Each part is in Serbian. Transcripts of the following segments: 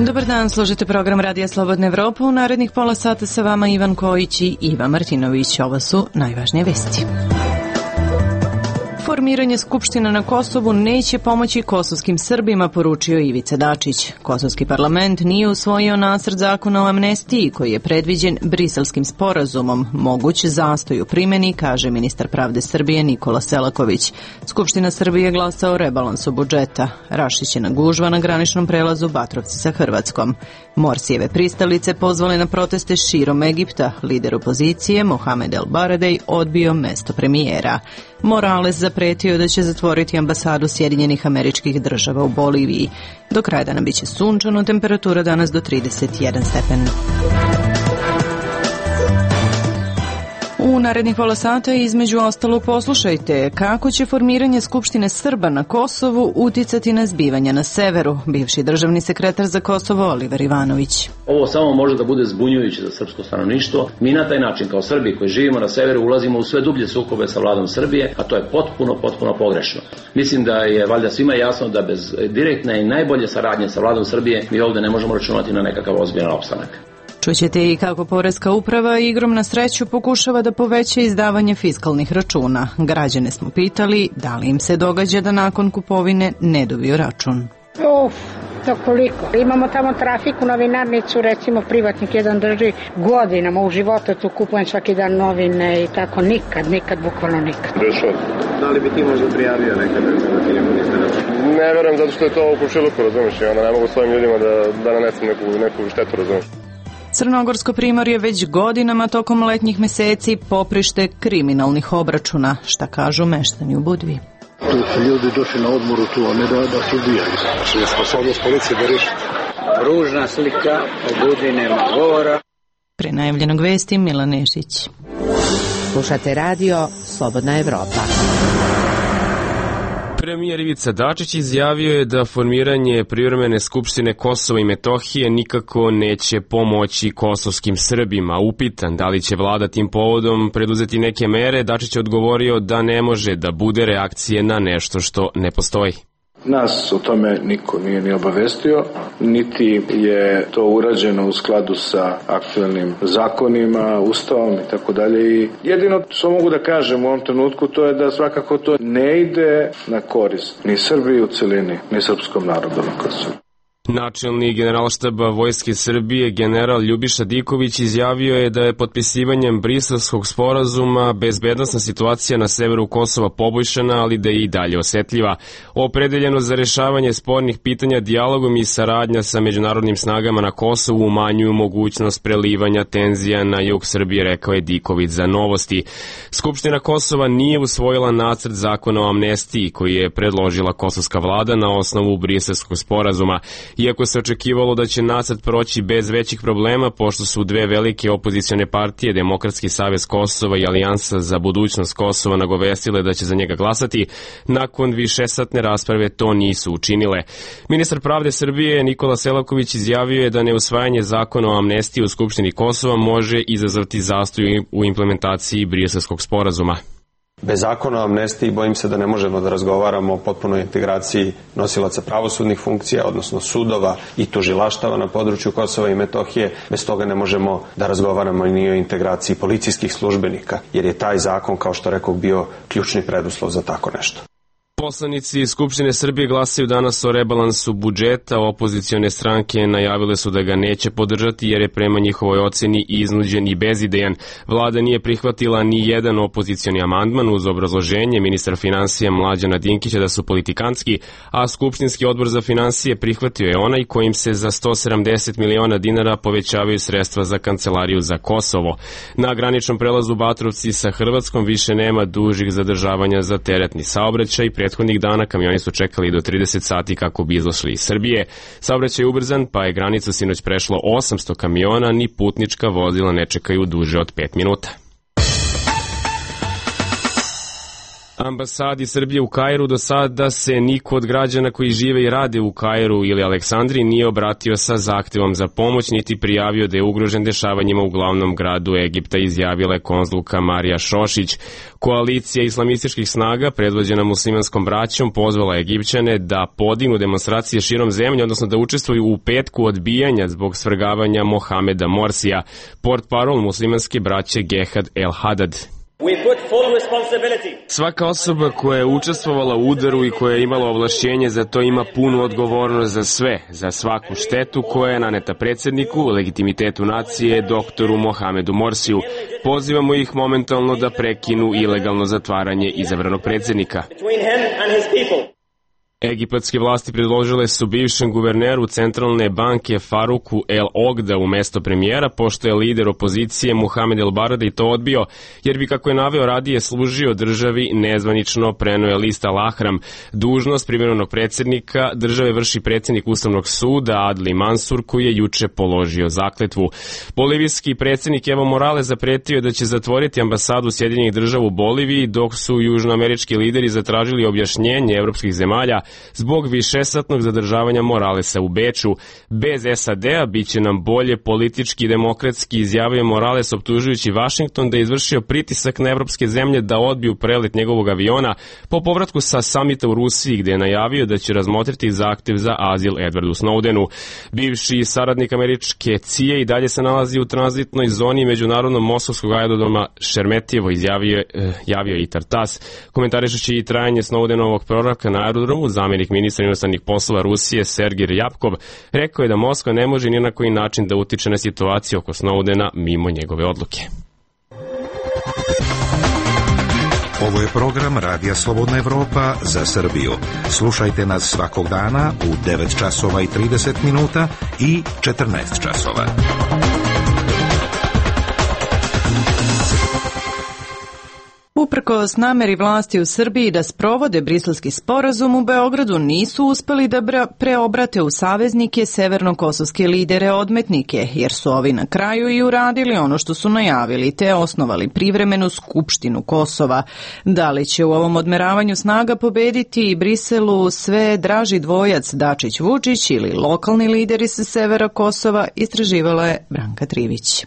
Dobar dan, slušajte program Radija Slobodna Evropa. U narednih pola sata sa vama Ivan Kojić i Iva Martinović. Ovo su najvažnije vesti. Formiranje Skupština na Kosovu neće pomoći kosovskim Srbima, poručio Ivica Dačić. Kosovski parlament nije usvojio nacrt zakona o amnestiji koji je predviđen Briselskim sporazumom. Moguć zastoj u primjeni, kaže ministar pravde Srbije Nikola Selaković. Skupština Srbije glasa o rebalansu budžeta. Rašićena gužva na graničnom prelazu Batrovci sa Hrvatskom. Morsijeve pristalice pozvale na proteste širom Egipta. Lider opozicije Mohamed El Baradej odbio mesto premijera. Morales zapretio da će zatvoriti ambasadu Sjedinjenih Američkih Država u Boliviji. Do kraja dana biće sunčano, temperatura danas do 31 stepen. U narednih pola sata između ostalog poslušajte kako će formiranje Skupštine Srba na Kosovu uticati na zbivanja na severu. Bivši državni sekretar za Kosovo Oliver Ivanović. Ovo samo može da bude zbunjujuće za srpsko stanovništvo. Mi na taj način kao Srbi koji živimo na severu ulazimo u sve dublje sukobe sa vladom Srbije, a to je potpuno pogrešno. Mislim da je valjda svima jasno da bez direktne i najbolje saradnje sa vladom Srbije mi ovde ne možemo računati na nekakav ozbiljan opstanak. Čućete i kako Poreska uprava igrom na sreću pokušava da poveća izdavanje fiskalnih računa. Građane smo pitali da li im se događa da nakon kupovine ne dobiju račun. To koliko? Imamo tamo trafiku, novinarnicu, recimo privatnik jedan drži godinama, u životu tu kupujem svaki dan novine i tako, nikad, bukvalno nikad. Da li bi ti možda prijavio nekada da ti neko niste račun? Ne verujem, zato što je to u komšiluku, razumiješ, i onda ne mogu svojim ljudima da nanesem neku štetu, razumiješ. Crnogorsko primorje već godinama tokom letnjih meseci poprište kriminalnih obračuna. Šta kažu meštani u Budvi? Tu su ljudi došli na odmoru tu, a ne da se ubijaju. Znači je sposobnost policije da reši. Ružna slika, o Budvi nema govora. Pre najavljenog vesti Milan Nešić. Slušate radio Slobodna Evropa. Premijer Ivica Dačić izjavio je da formiranje privremene skupštine Kosova i Metohije nikako neće pomoći kosovskim Srbima. Upitan da li će vlada tim povodom preduzeti neke mere, Dačić je odgovorio da ne može da bude reakcije na nešto što ne postoji. Nas o tome niko nije ni obavestio, niti je to urađeno u skladu sa aktuelnim zakonima, ustavom i tako dalje. I jedino što mogu da kažem u ovom trenutku to je da svakako to ne ide na korist ni Srbiji u celini, ni srpskom narodu na Kosovu. Načelnik Generalštaba Vojske Srbije, general Ljubiša Diković, izjavio je da je potpisivanjem Briselskog sporazuma bezbednosna situacija na severu Kosova poboljšana, ali da je i dalje osetljiva. Opredeljeno za rešavanje spornih pitanja dijalogom i saradnja sa međunarodnim snagama na Kosovu umanjuju mogućnost prelivanja tenzija na jug Srbije, rekao je Diković za Novosti. Skupština Kosova nije usvojila nacrt zakona o amnestiji koji je predložila kosovska vlada na osnovu Briselskog sporazuma. Iako se očekivalo da će nacrt proći bez većih problema, pošto su dve velike opozicione partije, Demokratski savez Kosova i Alijansa za budućnost Kosova, nagovestile da će za njega glasati, nakon višesatne rasprave to nisu učinile. Ministar pravde Srbije Nikola Selaković izjavio je da neusvajanje zakona o amnestiji u Skupštini Kosova može izazvati zastoj u implementaciji Briselskog sporazuma. Bez zakona o amnestiji bojim se da ne možemo da razgovaramo o potpunoj integraciji nosilaca pravosudnih funkcija, odnosno sudova i tužilaštava na području Kosova i Metohije. Bez toga ne možemo da razgovaramo ni o integraciji policijskih službenika, jer je taj zakon, kao što rekao, bio ključni preduslov za tako nešto. Poslanici Skupštine Srbije glasaju danas o rebalansu budžeta. Opozicione stranke najavile su da ga neće podržati jer je prema njihovoj oceni iznuđen i bezidejan. Vlada nije prihvatila ni jedan opozicioni amandman uz obrazloženje ministra finansija Mlađana Dinkića da su politikanski, a Skupštinski odbor za finansije prihvatio je onaj kojim se za 170 miliona dinara povećavaju sredstva za Kancelariju za Kosovo. Na graničnom prelazu Batrovci sa Hrvatskom više nema dužih zadržavanja za teretni saobraćaj. Prethodnih dana kamioni su čekali do 30 sati kako bi izašli iz Srbije. Saobraćaj je ubrzan, pa je granicu sinoć prešlo 800 kamiona, ni putnička vozila ne čekaju duže od 5 minuta. ambasadi Srbije u Kairu do sada se niko od građana koji žive i rade u Kairu ili Aleksandriji nije obratio sa zahtevom za pomoć, niti prijavio da je ugrožen dešavanjima u glavnom gradu Egipta, izjavila je konzulka Marija Šošić. Koalicija islamističkih snaga, predvođena muslimanskom braćom, pozvala Egipćane da podignu demonstracije širom zemlje, odnosno da učestvuju u petku odbijanja zbog svrgavanja Mohameda Morsija. Portparol muslimanske braće Gehad El Hadad. Svaka osoba koja je učestvovala u udaru i koja je imala ovlašćenje za to ima punu odgovornost za sve, za svaku štetu koja je naneta predsjedniku, legitimitetu nacije, doktoru Mohamedu Morsiju. Pozivamo ih momentalno da prekinu ilegalno zatvaranje izabranog predsjednika. Egipatske vlasti predložile su bivšem guverneru centralne banke Faruku El Ogda u mesto premijera, pošto je lider opozicije Muhamed El Baradei to odbio, jer bi, kako je naveo, radije služio državi, nezvanično preneo je list Al Ahram. Dužnost privremenog predsjednika države vrši predsjednik Ustavnog suda Adli Mansur, koji je juče položio zakletvu. Bolivijski predsjednik Evo Morales zapretio je da će zatvoriti ambasadu Sjedinjenih država u Boliviji, dok su južnoamerički lideri zatražili objašnjenje evropskih zemalja zbog višesatnog zadržavanja Moralesa u Beču. Bez SAD-a biće nam bolje politički i demokratski, izjavio Morales, optužujući Vašington da je izvršio pritisak na evropske zemlje da odbiju prelet njegovog aviona po povratku sa samita u Rusiji, gde je najavio da će razmotriti zahtev za azil Edwardu Snowdenu. Bivši saradnik američke CIA i dalje se nalazi u tranzitnoj zoni međunarodnog moskovskog aerodroma Šermetijevo, javio i Tartas. Komentarišući i trajanje Snowdenovog proravka na aerodromu, zamjenik ministra inostranih poslova Rusije Sergej Ryabkov rekao je da Moskva ne može ni na koji način da utiče na situaciju oko Snowdena mimo njegove odluke. Ovo je program Radija Slobodna Evropa za Srbiju. Slušajte nas svakog dana u 9 časova i 30 minuta i 14 časova. Uprkos nameri vlasti u Srbiji da sprovode Briselski sporazum, u Beogradu nisu uspeli da preobrate u saveznike severnokosovske lidere odmetnike, jer su ovi na kraju i uradili ono što su najavili, te osnovali privremenu skupštinu Kosova. Da li će u ovom odmeravanju snaga pobediti Briselu sve draži dvojac Dačić-Vučić ili lokalni lideri sa severa Kosova, istraživala je Branka Trivić.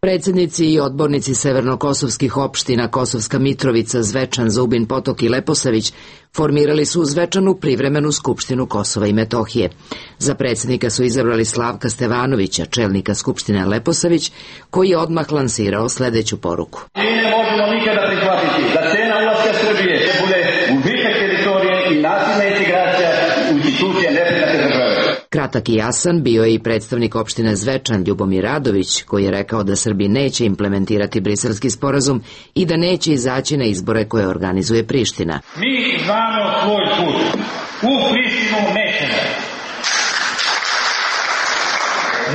Predsjednici i odbornici severnokosovskih opština Kosovska Mitrovica, Zvečan, Zubin Potok i Leposavić formirali su u Zvečanu privremenu skupštinu Kosova i Metohije. Za predsjednika su izabrali Slavka Stevanovića, čelnika skupštine Leposavić, koji je odmah lansirao sljedeću poruku. Mi ne možemo nikada prihvatiti da cena ulaska Srbije bude gubitak teritorije i nasilna integracija u institucije nepriznate države. Kratak i jasan bio je i predstavnik opštine Zvečan Ljubomir Radović, koji je rekao da Srbi neće implementirati Briselski sporazum i da neće izaći na izbore koje organizuje Priština. Mi znamo svoj put. U Prištinu nećemo.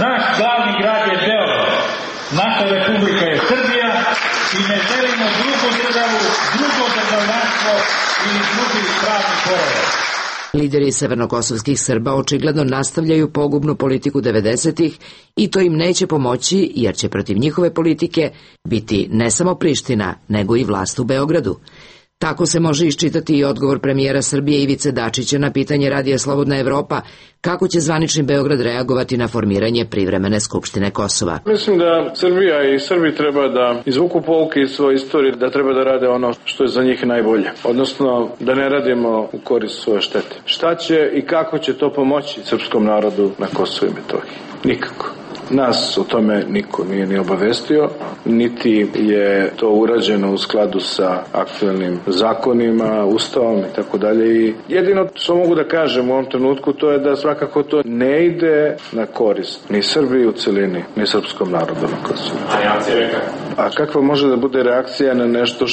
Naš glavni grad je Beograd. Naša republika je Srbija i ne želimo drugu državu, drugo državljanstvo ili drugi pravni poredak. Lideri severnokosovskih Srba očigledno nastavljaju pogubnu politiku 90-ih i to im neće pomoći, jer će protiv njihove politike biti ne samo Priština, nego i vlast u Beogradu. Tako se može iščitati i odgovor premijera Srbije Ivice Dačića na pitanje Radija Slobodna Evropa kako će zvanični Beograd reagovati na formiranje privremene skupštine Kosova. Mislim da Srbija i Srbi treba da izvuku pouke iz svoje istorije, da treba da rade ono što je za njih najbolje. Odnosno da ne radimo u korist svoje štete. Šta će i kako će to pomoći srpskom narodu na Kosovu i Metohiji? Nikako. Nas o tome niko nije ni obavestio, niti je to urađeno u skladu sa aktuelnim zakonima, ustavom i tako dalje. I jedino što mogu da kažem u ovom trenutku to je da svakako to ne ide na korist ni Srbiji u celini, ni srpskom narodu na Kosovu. A kakva može da bude reakcija na nešto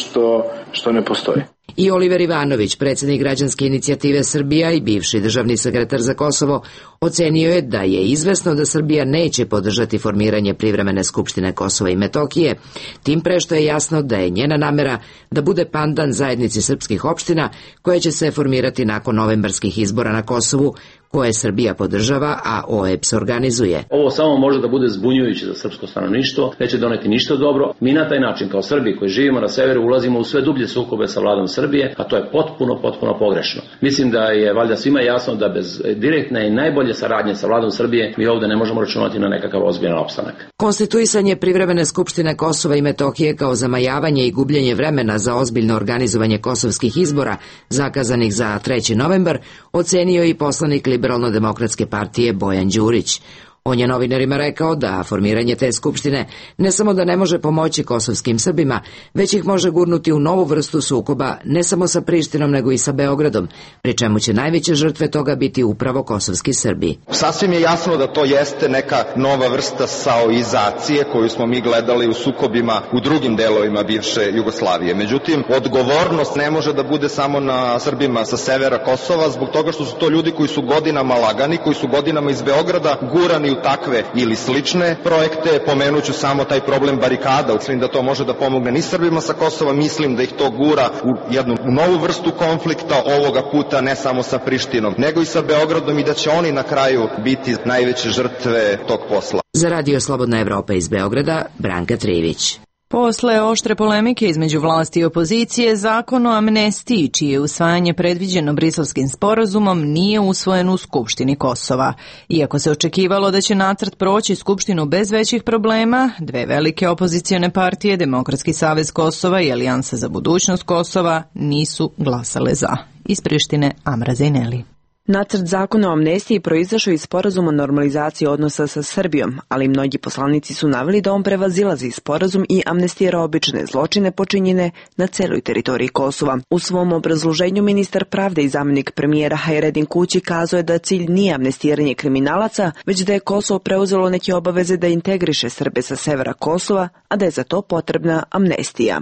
što ne postoji? I Oliver Ivanović, predsjednik Građanske inicijative Srbija i bivši državni sekretar za Kosovo, ocenio je da je izvesno da Srbija neće podržati formiranje privremene skupštine Kosova i Metohije, tim pre što je jasno da je njena namera da bude pandan zajednici srpskih opština koje će se formirati nakon novembarskih izbora na Kosovu, koje Srbija podržava, a OEBS organizuje. Ovo samo može da bude zbunjujuće za srpsko stanovništvo, neće doneti ništa dobro. Mi na taj način kao Srbi koji živimo na severu ulazimo u sve dublje sukobe sa vladom Srbije, a to je potpuno pogrešno. Mislim da je valjda svima jasno da bez direktne i najbolje saradnje sa vladom Srbije mi ovde ne možemo računati na nekakav ozbiljan opstanak. Konstituisanje privremene skupštine Kosova i Metohije kao zamajavanje i gubljenje vremena za ozbiljno organizovanje kosovskih izbora zakazanih za 3. novembar ocenio i poslanik Liberalno-demokratske partije Bojan Đurić. On je novinarima rekao da formiranje te skupštine ne samo da ne može pomoći kosovskim Srbima, već ih može gurnuti u novu vrstu sukoba ne samo sa Prištinom nego i sa Beogradom, pri čemu će najveće žrtve toga biti upravo kosovski Srbi. Sasvim je jasno da to jeste neka nova vrsta saoizacije koju smo mi gledali u sukobima u drugim delovima bivše Jugoslavije. Međutim, odgovornost ne može da bude samo na Srbima sa severa Kosova, zbog toga što su to ljudi koji su godinama lagani, koji su godinama iz Beograda gurani u takve ili slične projekte. Pomenuću samo taj problem barikada. Mislim da to može da pomogne ni Srbima sa Kosova, mislim da ih to gura u jednu novu vrstu konflikta, ovoga puta ne samo sa Prištinom, nego i sa Beogradom, i da će oni na kraju biti najveće žrtve tog posla. Za Radio Slobodna Evropa iz Beograda, Branka Trivić. Posle oštre polemike između vlasti i opozicije, zakon o amnestiji, čije je usvajanje predviđeno Briselskim sporazumom, nije usvojen u Skupštini Kosova. Iako se očekivalo da će nacrt proći Skupštinu bez većih problema, dve velike opozicione partije, Demokratski savez Kosova i Alijansa za budućnost Kosova, nisu glasale za. Iz Prištine, Amra Zejneli. Nacrt zakona o amnestiji proizašao iz sporazuma o normalizaciji odnosa sa Srbijom, ali mnogi poslanici su naveli da on prevazilazi sporazum i amnestira obične zločine počinjene na celoj teritoriji Kosova. U svom obrazloženju ministar pravde i zamenik premijera Hajredin Kući kazao je da cilj nije amnestiranje kriminalaca, već da je Kosovo preuzelo neke obaveze da integriše Srbe sa severa Kosova, a da je za to potrebna amnestija.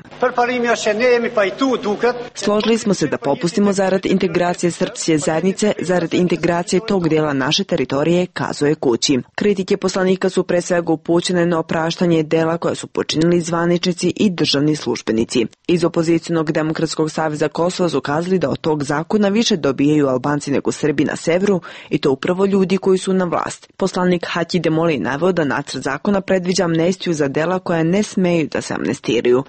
Složili smo se da popustimo zarad integracije srpske zajednice, zarad integracije tog dela naše teritorije, kazuje Kući. Kritike poslanika su pre svega upućene na opraštanje dela koje su počinili zvaničnici i državni službenici. Iz opozicionog Demokratskog saveza Kosova su kazali da od tog zakona više dobijaju Albanci nego Srbi na severu, i to upravo ljudi koji su na vlast. Poslanik Haki Demoli naveo da nacrt zakona predviđa amnestiju za dela koja ne smeju da se amnestiraju.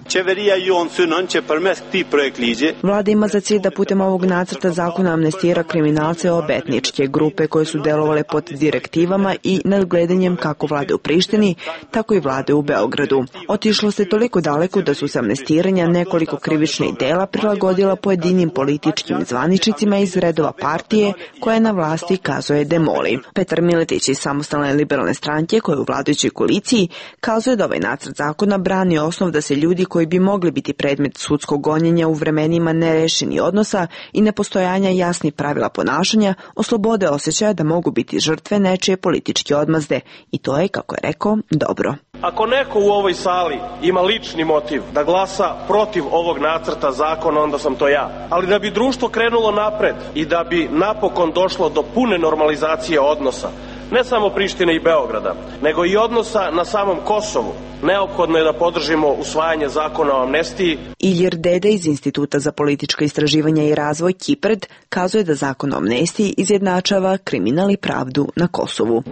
Vlada ima za cilj da putem ovog nacrta zakona amnestira kriminalce obe etničke grupe koje su delovale pod direktivama i nadgledanjem kako vlade u Prištini, tako i vlade u Beogradu. Otišlo se toliko daleko da su se amnestiranja nekoliko krivičnih dela prilagodila pojedinim političkim zvaničnicima iz redova partije koja je na vlasti, kazuje Demoli. Petar Miletić iz Samostalne liberalne stranke, koja je u vladajućoj koaliciji, kazuje da ovaj nacrt zakona brani osnov da se ljudi koji bi mogli biti predmet sudskog gonjenja u vremenima nerešenih odnosa i nepostojanja jasnih pravila ponašanja oslobode osjećaja da mogu biti žrtve nečije političke odmazde, i to je, kako je rekao, dobro. Ako neko u ovoj sali ima lični motiv da glasa protiv ovog nacrta zakona, onda sam to ja. Ali da bi društvo krenulo napred i da bi napokon došlo do pune normalizacije odnosa, ne samo Prištine i Beograda, nego i odnosa na samom Kosovu, neophodno je da podržimo usvajanje zakona o amnestiji. Ilir Dede iz Instituta za politička istraživanja i razvoj Kipred kazuje da zakon o amnestiji izjednačava kriminal i pravdu na Kosovu.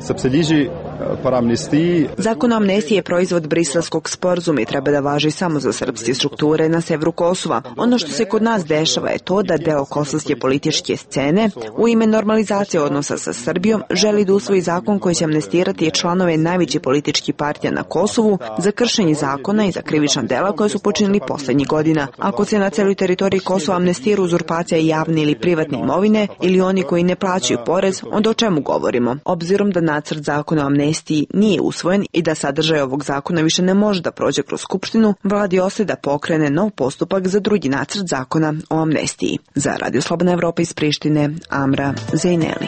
Zakon o amnestiji je proizvod Briselskog sporazuma i treba da važi samo za srpske strukture na severu Kosova. Ono što se kod nas dešava je to da deo kosovske političke scene u ime normalizacije odnosa sa Srbijom želi da usvoji zakon koji će amnestirati članove najvećih političkih partija na Kosovu za kršenje zakona i za krivična dela koje su počinili poslednjih godina. Ako se na celoj teritoriji Kosova amnestira uzurpacija javne ili privatne imovine ili oni koji ne plaćaju porez, onda o čemu govorimo? Obzirom da nacrt zakona o amnestiji nije usvojen i da sadržaj ovog zakona više ne može da prođe kroz Skupštinu, vladi ostaje da pokrene nov postupak za drugi nacrt zakona o amnestiji. Za Radio Slobodna Evropa iz Prištine, Amra Zejneli.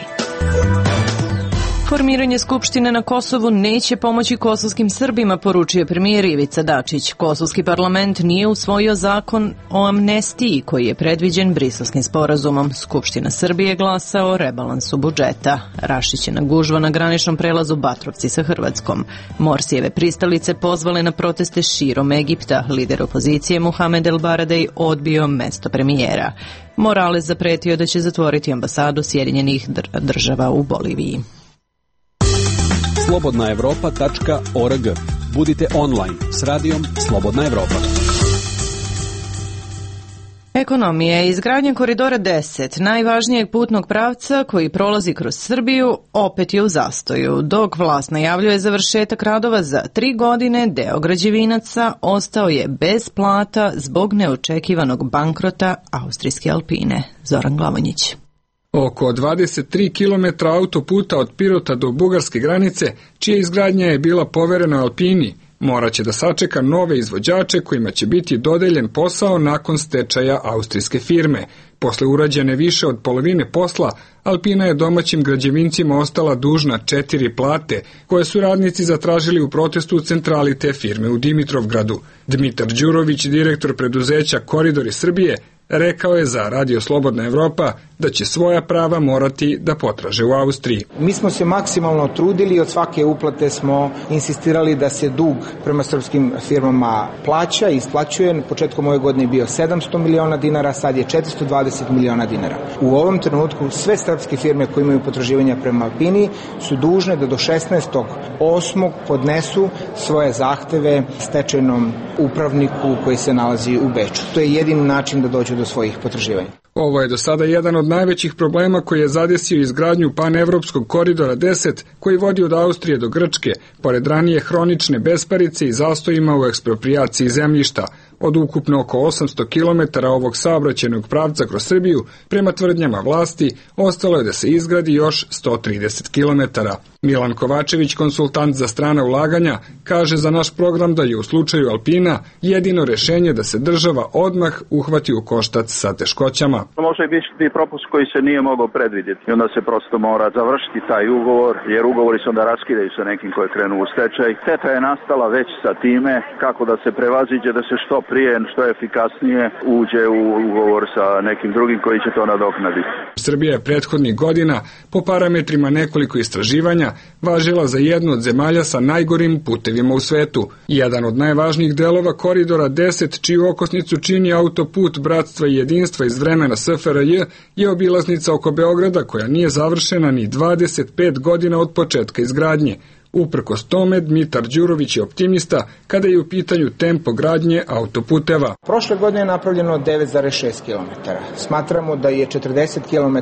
Formiranje Skupštine na Kosovu neće pomoći kosovskim Srbima, poručio premijer Ivica Dačić. Kosovski parlament nije usvojio zakon o amnestiji koji je predviđen Briselskim sporazumom. Skupština Srbije glasa o rebalansu budžeta. Rašićena gužva na graničnom prelazu Batrovci sa Hrvatskom. Morsijeve pristalice pozvale na proteste širom Egipta. Lider opozicije Muhamed El Baradej odbio mesto premijera. Morales zapretio da će zatvoriti ambasadu Sjedinjenih država u Boliviji. slobodnaevropa.org. Budite online s radijom Slobodna Evropa. Ekonomija. Izgradnja koridora 10, najvažnijeg putnog pravca koji prolazi kroz Srbiju, opet je u zastoju. Dok vlast najavljuje završetak radova za 3 godine, deo građevinaca ostao je bez plata zbog neočekivanog bankrota austrijske Alpine. Zoran Glavonjić. Oko 23 km autoputa od Pirota do bugarske granice, čija izgradnja je bila poverena Alpini, morat će da sačeka nove izvođače kojima će biti dodeljen posao nakon stečaja austrijske firme. Posle urađene više od polovine posla, Alpina je domaćim građevincima ostala dužna 4 plate, koje su radnici zatražili u protestu u centrali te firme u Dimitrovgradu. Dmitar Đurović, direktor preduzeća Koridori Srbije, rekao je za Radio Slobodna Evropa da će svoja prava morati da potraže u Austriji. Mi smo se maksimalno trudili i od svake uplate smo insistirali da se dug prema srpskim firmama plaća i isplaćuje. Početkom ove godine je bio 700 miliona dinara, sad je 420 miliona dinara. U ovom trenutku sve srpske firme koje imaju potraživanja prema Alpini su dužne da do 16.8. podnesu svoje zahteve stečajnom upravniku koji se nalazi u Beču. To je jedini način da dođu do svojih potraživanja. Ovo je do sada jedan od najvećih problema koji je zadesio izgradnju panevropskog koridora 10 koji vodi od Austrije do Grčke, pored ranije hronične besparice i zastojima u eksproprijaciji zemljišta. Od ukupno oko 800 km ovog saobraćajnog pravca kroz Srbiju, prema tvrdnjama vlasti, ostalo je da se izgradi još 130 km. Milan Kovačević, konsultant za strana ulaganja, kaže za naš program da je u slučaju Alpina jedino rešenje da se država odmah uhvati u koštac sa teškoćama. Može biti propust koji se nije mogao predvidjeti i onda se prosto mora završiti taj ugovor, jer ugovori se onda raskidaju sa nekim koji je krenuo u stečaj. Šteta je nastala već sa time kako da se prevaziđe, da se što prije, što efikasnije uđe u ugovor sa nekim drugim koji će to nadoknaditi. Srbija je prethodnih godina po parametrima nekoliko istraživanja važila za jednu od zemalja sa najgorim putevima u svetu. Jedan od najvažnijih delova koridora 10, čiju okosnicu čini autoput Bratstva i jedinstva iz vremena SFRJ, je obilaznica oko Beograda koja nije završena ni 25 godina od početka izgradnje. Uprkos tome, Dmitar Đurović je optimista kada je u pitanju tempo gradnje autoputeva. Prošle godine je napravljeno 9,6 km. Smatramo da je 40 km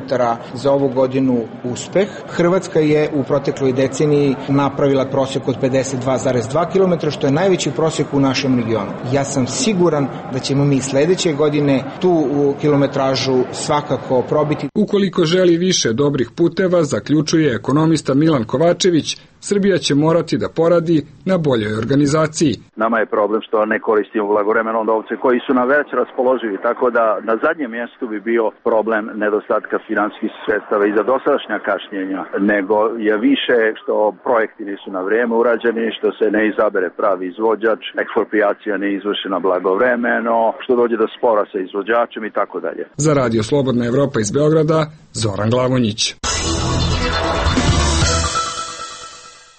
za ovu godinu uspeh. Hrvatska je u protekloj deceniji napravila prosjek od 52,2 km, što je najveći prosjek u našem regionu. Ja sam siguran da ćemo mi sledeće godine tu kilometražu svakako probiti. Ukoliko želi više dobrih puteva, zaključuje ekonomista Milan Kovačević, Srbija će morati da poradi na boljoj organizaciji. Nama je problem što ne koristimo blagovremeno novce koji su nam već raspoloživi, tako da na zadnjem mjestu bi bio problem nedostatka finansijskih sredstava i za dosadašnja kašnjenja, nego je više što projekti nisu na vrijeme urađeni, što se ne izabere pravi izvođač, eksproprijacija ne izvršena blagovremeno, što dođe do spora sa izvođačem i tako dalje. Za Radio Slobodna Evropa iz Beograda, Zoran Glavonjić.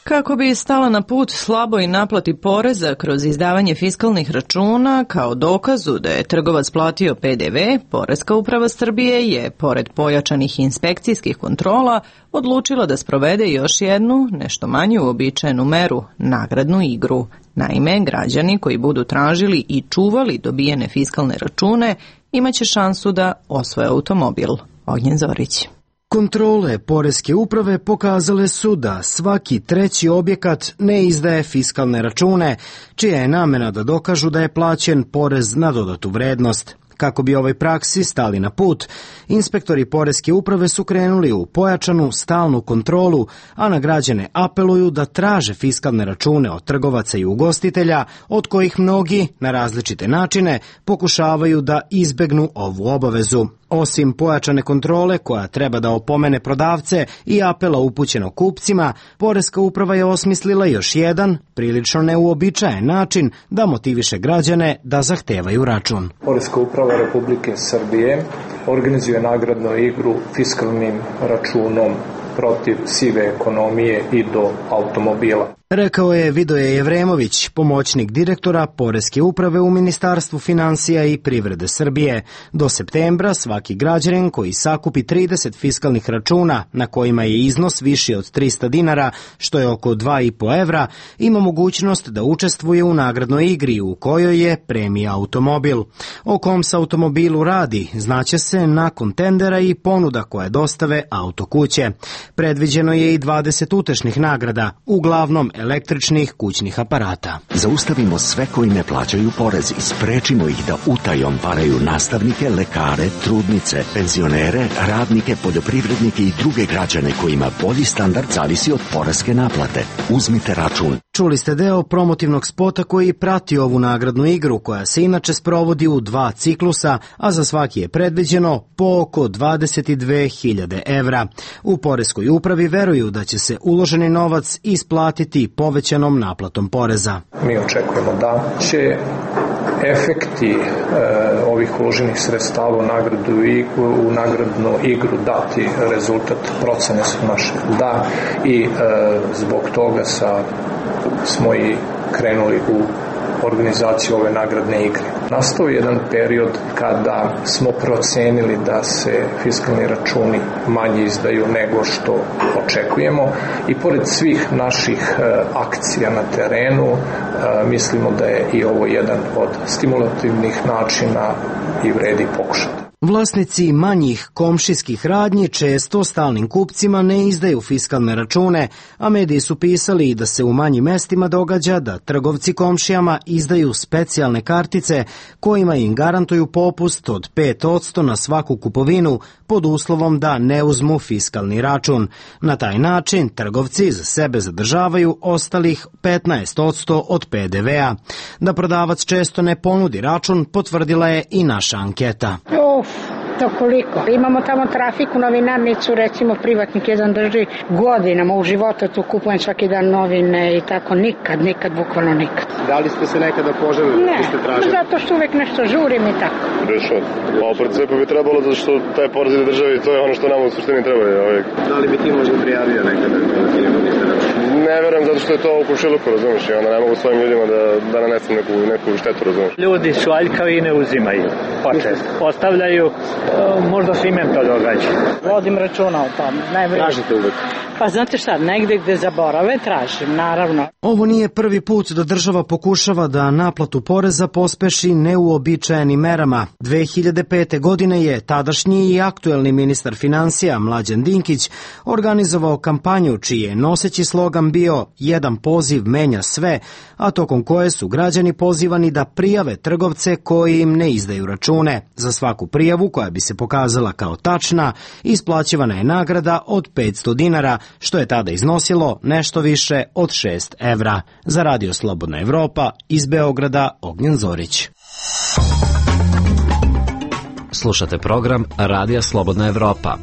Kako bi stala na put slaboj naplati poreza kroz izdavanje fiskalnih računa kao dokazu da je trgovac platio PDV, Poreska uprava Srbije je, pored pojačanih inspekcijskih kontrola, odlučila da sprovede još jednu, nešto manju uobičajenu meru, nagradnu igru. Naime, građani koji budu tražili i čuvali dobijene fiskalne račune imaće šansu da osvoje automobil. Ognjen Zorić. Kontrole Poreske uprave pokazale su da svaki treći objekat ne izdaje fiskalne račune, čija je namena da dokažu da je plaćen porez na dodatu vrednost. Kako bi ovoj praksi stali na put, inspektori Poreske uprave su krenuli u pojačanu stalnu kontrolu, a na građane apeluju da traže fiskalne račune od trgovaca i ugostitelja, od kojih mnogi, na različite načine, pokušavaju da izbegnu ovu obavezu. Osim pojačane kontrole koja treba da opomene prodavce i apela upućeno kupcima, Poreska uprava je osmislila još jedan, prilično neuobičajen način da motiviše građane da zahtevaju račun. Poreska uprava Republike Srbije organizuje nagradnu igru fiskalnim računom protiv sive ekonomije i do automobila. Rekao je Vidoje Jevremović, pomoćnik direktora Poreske uprave u Ministarstvu finansija i privrede Srbije. Do septembra svaki građanin koji sakupi 30 fiskalnih računa na kojima je iznos viši od 300 dinara, što je oko 2,5 evra, ima mogućnost da učestvuje u nagradnoj igri u kojoj je premija automobil. O kom se automobilu radi znaće se nakon tendera i ponuda koje dostave autokuće. Predviđeno je i 20 utešnih nagrada, uglavnom električnih kućnih aparata. Zaustavimo sve koji ne plaćaju porez i sprečimo ih da utajom varaju nastavnike, lekare, trudnice, penzionere, radnike, poljoprivrednike i druge građane kojima bolji standard zavisi od poreske naplate. Uzmite račun. Čuli ste deo promotivnog spota koji prati ovu nagradnu igru, koja se inače sprovodi u 2 ciklusa, a za svaki je predviđeno po oko 22.000 evra. U Poreskoj upravi veruju da će se uloženi novac isplatiti povećanom naplatom poreza. Mi očekujemo da će efekti ovih uloženih sredstava u nagradnu igru dati rezultat, procene su naše da, i zbog toga smo i krenuli u organizaciju ove nagradne igre. Nastao je jedan period kada smo procenili da se fiskalni računi manje izdaju nego što očekujemo i pored svih naših akcija na terenu mislimo da je i ovo jedan od stimulativnih načina i vredi pokušati. Vlasnici manjih komšijskih radnji često stalnim kupcima ne izdaju fiskalne račune, a mediji su pisali i da se u manjim mestima događa da trgovci komšijama izdaju specijalne kartice kojima im garantuju popust od 5% na svaku kupovinu pod uslovom da ne uzmu fiskalni račun. Na taj način trgovci za sebe zadržavaju ostalih 15% od PDV-a. Da prodavac često ne ponudi račun potvrdila je i naša anketa. To koliko? Imamo tamo trafiku, novinarnicu, recimo privatnik jedan drži godinama, u životu tu kupujem svaki dan novine i tako, nikad, bukvalno nikad. Da li ste se nekada poželili? Ne, zato što uvek nešto žurim i tako. Rešao. Pa u principu bi trebalo zato što taj porez ide državi, to je ono što nam u suštini treba. Da li bi ti možda prijavio nekada? Ne verujem zato što je to u kušiluku, razumiješ, i onda ne mogu svojim ljudima da nanesem neku štetu, razumiješ. Ljudi su aljkavi i ne uzimaju, počest. Ostavljaju, možda se imen to događa. Vodim računa o tom. Tražite uvek? Pa znate šta, negde gde zaborave tražim, naravno. Ovo nije prvi put da država pokušava da naplatu poreza pospeši neuobičajenim merama. 2005. godine je tadašnji i aktuelni ministar finansija Mlađan Dinkić organizovao kampanju čiji je noseći slogan bio "Jedan poziv menja sve", a tokom koje su građani pozivani da prijave trgovce koji im ne izdaju račune. Za svaku prijavu koja bi se pokazala kao tačna, isplaćivana je nagrada od 500 dinara, što je tada iznosilo nešto više od 6 evra. Za Radio Slobodna Evropa, iz Beograda, Ognjen Zorić. Slušate program Radija Slobodna Evropa.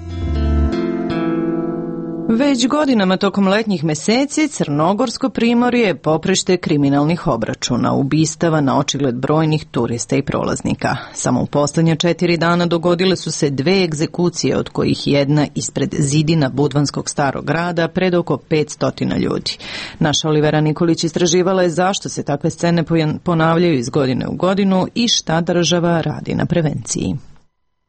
Već godinama tokom letnjih meseci Crnogorsko primorje je poprište kriminalnih obračuna, ubistava na očigled brojnih turista i prolaznika. Samo u poslednje 4 dana dogodile su se 2 egzekucije, od kojih jedna ispred zidina Budvanskog starog grada pred oko 500 ljudi. Naša Olivera Nikolić istraživala je zašto se takve scene ponavljaju iz godine u godinu i šta država radi na prevenciji.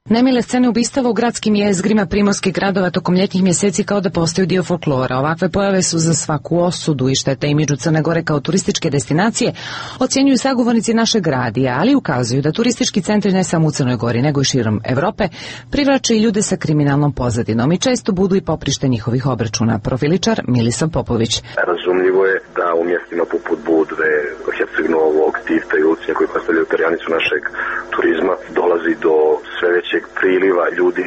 Nemile scene ubistava u gradskim jezgrima primorskih gradova tokom ljetnih mjeseci kao da postaju dio folklora. Ovakve pojave su za svaku osudu i štete imidžu Crne Gore kao turističke destinacije, ocjenjuju sagovornici našeg radija, ali ukazuju da turistički centri ne samo u Crnoj Gori, nego i širom Evrope privlače i ljude sa kriminalnom pozadinom i često budu i poprište njihovih obračuna. Profiličar Milisav Popović. Razumljivo je da u mjestima poput Budve, Herceg-Novog, Tivta i Lucinja koji predstavljaju perjanicu našeg turizma dolazi do sve većeg priliva ljudi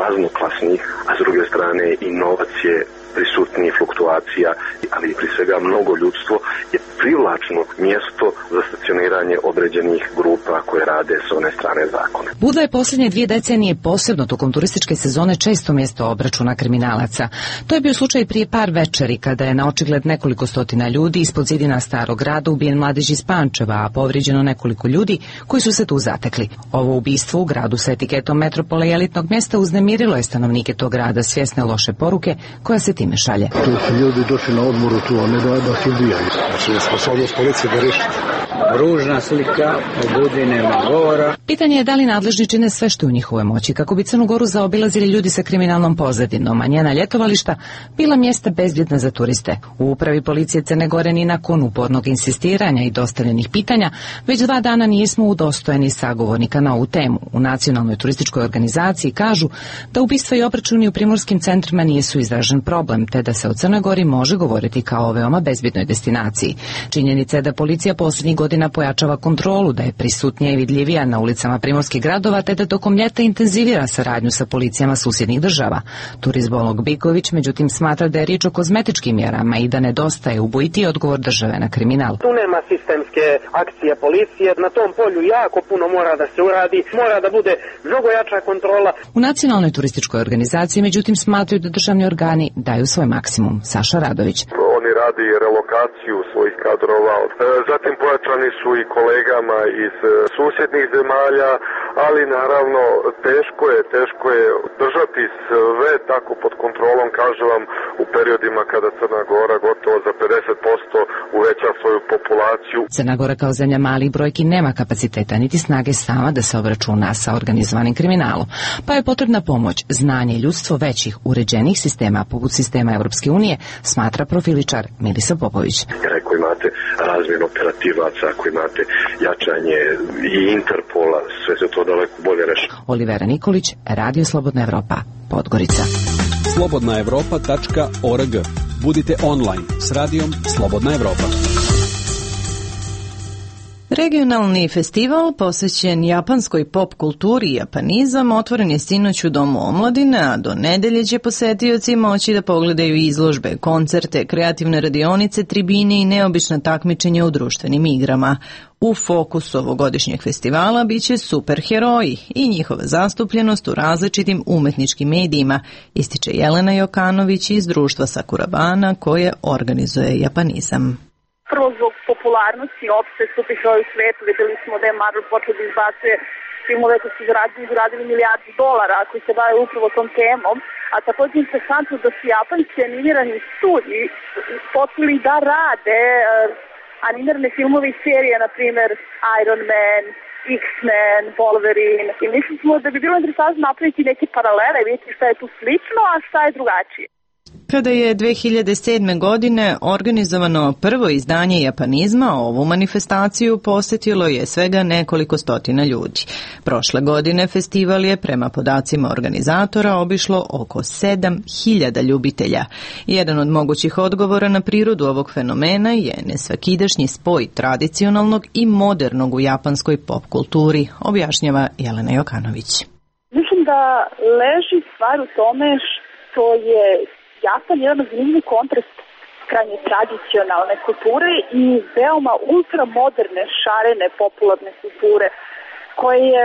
raznoklasnih, a s druge strane i novac je prisutniji, fluktuacija, ali pri svega mnogo ljudstvo je privlačno mjesto za stacioniranje određenih grupa koje rade s one strane zakona. Budva je posljednje 2 decenije, posebno tokom turističke sezone, često mjesto obračuna kriminalaca. To je bio slučaj prije par večeri, kada je na očigled nekoliko stotina ljudi ispod zidina Starog grada ubijen mladež iz Pančeva, a povrijeđeno nekoliko ljudi koji su se tu zatekli. Ovo ubistvo u gradu sa etiketom metropole i elitnog mjesta uznemirilo je stanovnike tog grada, svjesne loše poruke koja se time šalje. Tu su ljudi došli na odmoru tu, a ne da se ubijaju. Znači, sposobnost policije da reši. Ružna slika, o Budvi nema govora. Pitanje je da li nadležni čine sve što je u njihovoj moći kako bi Crnu Goru zaobilazili ljudi sa kriminalnom pozadinom, a njena ljetovališta bila mjesta bezbjedna za turiste. U upravi policije Crne Gore ni nakon upornog insistiranja i dostavljenih pitanja već 2 dana nismo udostojeni sagovornika na ovu temu. U Nacionalnoj turističkoj organizaciji kažu da ubistva i obračuni u primorskim centrima nisu izražen problem, te da se o Crnoj Gori može govoriti kao o veoma bezbjednoj destinaciji. Činjenica je da policija posljednjih godina pojačava kontrolu, da je prisutnija i vidljivija na ulicama primorskih gradova, te da tokom ljeta intenzivira saradnju sa policijama susjednih država. Turizbolog Biković međutim smatra da je riječ o kozmetičkim mjerama i da nedostaje ubojiti odgovor države na kriminal. Tu nema sistemske akcije policije, na tom polju jako puno mora da se uradi, mora da bude mnogo jača kontrola. U Nacionalnoj turističkoj organizaciji međutim smatraju da državni organi daju svoj maksimum. Saša Radović. Oni radi relokaciju svojih kadrova, zatim pojačani su i kolegama iz susjednih zemalja, ali naravno teško je držati sve tako pod kontrolom, kažem vam, u periodima kada Crna Gora gotovo za 50% uveća svoju populaciju. Crna Gora kao zemlja malih brojki nema kapaciteta niti snage sama da se obračuna sa organizovanim kriminalom, pa je potrebna pomoć, znanje i ljudstvo većih uređenih sistema poput sistema Europske unije, smatra profiličar Milica Popović. Ako imate razmjenu operativaca, ako imate jačanje i Interpola, sve se to daleko bolje reši. Olivera Nikolić, Radio Slobodna Evropa, Podgorica. slobodnaevropa.org. Budite online s radijom Slobodna Evropa. Regionalni festival posvećen japanskoj pop kulturi i japanizam otvoren je sinoć u Domu omladine, a do nedelje će posetioci moći da pogledaju izložbe, koncerte, kreativne radionice, tribine i neobična takmičenja u društvenim igrama. U fokusu ovogodišnjeg festivala biće superheroji i njihova zastupljenost u različitim umetničkim medijima, ističe Jelena Jokanović iz društva Sakurabana koje organizuje japanizam. Prvo zbog popularnosti opšte superheroji u svetu, videli smo da je Marvel počeo da izbacuje filmove koji su zaradili milijardi dolara koji se bave upravo tom temom, a također interesantno da su japanski animirani studiji počeli da rade animirane filmove i serije, na primjer Iron Man, X-Men, Wolverine, i mislimo da bi bilo interesantno napraviti neke paralele, vidjeti šta je tu slično, a šta je drugačije. Kada je 2007. godine organizovano prvo izdanje japanizma, ovu manifestaciju posjetilo je svega nekoliko stotina ljudi. Prošle godine festival je prema podacima organizatora obišlo oko 7.000 ljubitelja. Jedan od mogućih odgovora na prirodu ovog fenomena je nesvakidašnji spoj tradicionalnog i modernog u japanskoj pop kulturi, objašnjava Jelena Jokanović. Mislim da leži stvar u tome što je Japan je jedan zanimljiv kontrast krajnje tradicionalne kulture i veoma ultramoderne, šarene, popularne kulture, koje je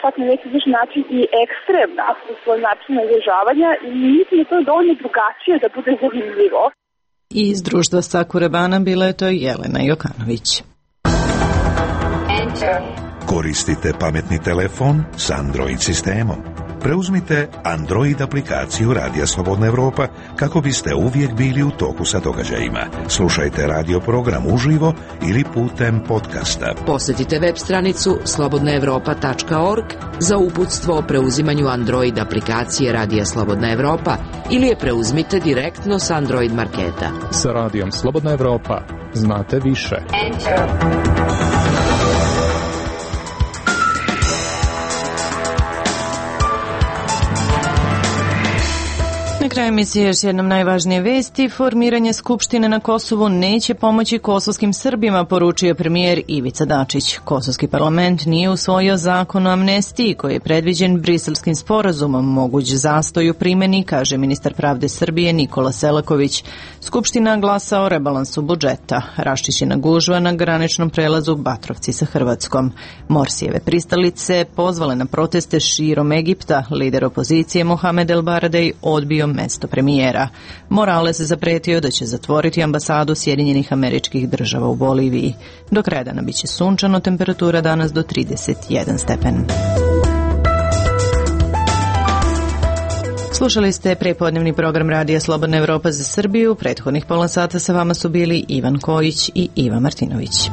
čak na neki način i ekstremna u svoj način izražavanja i mislim da to je dovoljno drugačije da bude zanimljivo. I iz društva Sakurabana bila je to Jelena Jokanović. Koristite pametni telefon s Android sistemom. Preuzmite Android aplikaciju Radija Slobodna Evropa kako biste uvijek bili u toku sa događajima. Slušajte radio program uživo ili putem podcasta. Posjetite web stranicu slobodnaevropa.org za uputstvo o preuzimanju Android aplikacije Radija Slobodna Evropa ili je preuzmite direktno s Android marketa. Sa Radijom Slobodna Evropa znate više. Na kraju emisije još jednom najvažnije vesti. Formiranje Skupštine na Kosovu neće pomoći kosovskim Srbima, poručio premijer Ivica Dačić. Kosovski parlament nije usvojio zakon o amnestiji koji je predviđen Briselskim sporazumom, moguć zastoj u primjeni, kaže ministar pravde Srbije Nikola Selaković. Skupština glasa o rebalansu budžeta. Raščišćena gužva na graničnom prelazu Batrovci sa Hrvatskom. Morsijeve pristalice pozvale na proteste širom Egipta. Lider opozicije Mohamed El Baradej odbio mesto premijera. Morales zapretio da će zatvoriti ambasadu Sjedinjenih Američkih Država u Boliviji. Do kraja dana biće sunčano, temperatura danas do 31 stepen. Slušali ste prepodnevni program Radija Slobodna Evropa za Srbiju. Prethodnih pola sata sa vama su bili Ivan Kojić i Iva Martinović.